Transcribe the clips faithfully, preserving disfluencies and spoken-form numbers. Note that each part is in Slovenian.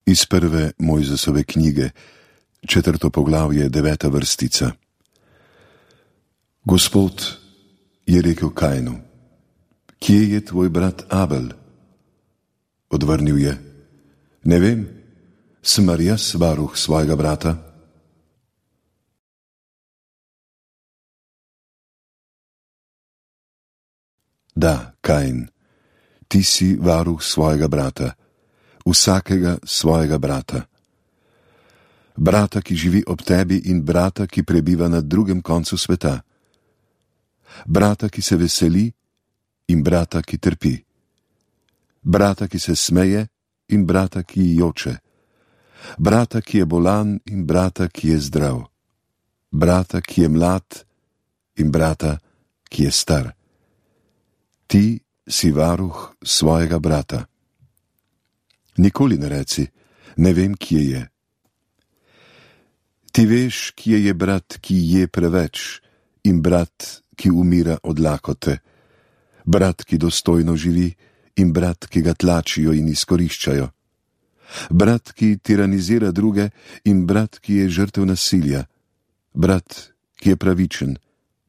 Iz prve Mojzesove knjige, četrto poglavje, deveta vrstica. Gospod je rekel Kainu: Kje je tvoj brat Abel? Odvrnil je: Ne vem, sem mar jaz varuh svojega brata? Da, Kain, ti si varuh svojega brata, vsakega svojega brata. Brata, ki živi ob tebi, in brata, ki prebiva na drugem koncu sveta. Brata, ki se veseli, in brata, ki trpi. Brata, ki se smeje, in brata, ki joče. Brata, ki je bolan, in brata, ki je zdrav. Brata, ki je mlad, in brata, ki je star. Ti si varuh svojega brata. Nikoli ne reci: Ne vem, kje je. Ti veš, kje je brat, ki je preveč, in brat, ki umira od lakote, brat, ki dostojno živi, in brat, ki ga tlačijo in izkoriščajo, brat, ki tiranizira druge, in brat, ki je žrtev nasilja, brat, ki je pravičen,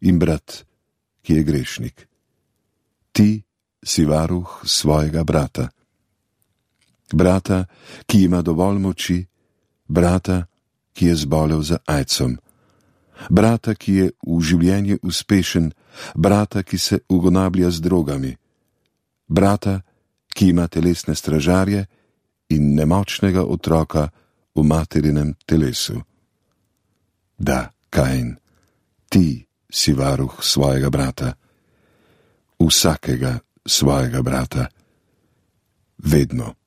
in brat, ki je grešnik. Ti si varuh svojega brata. Brata, ki ima dovolj moči, brata, ki je zbolel za aidsom, brata, ki je v življenju uspešen, brata, ki se ugonablja z drogami, brata, ki ima telesne stražarje in nemočnega otroka v materinem telesu. Da, Kain, ti si varuh svojega brata, vsakega svojega brata, vedno.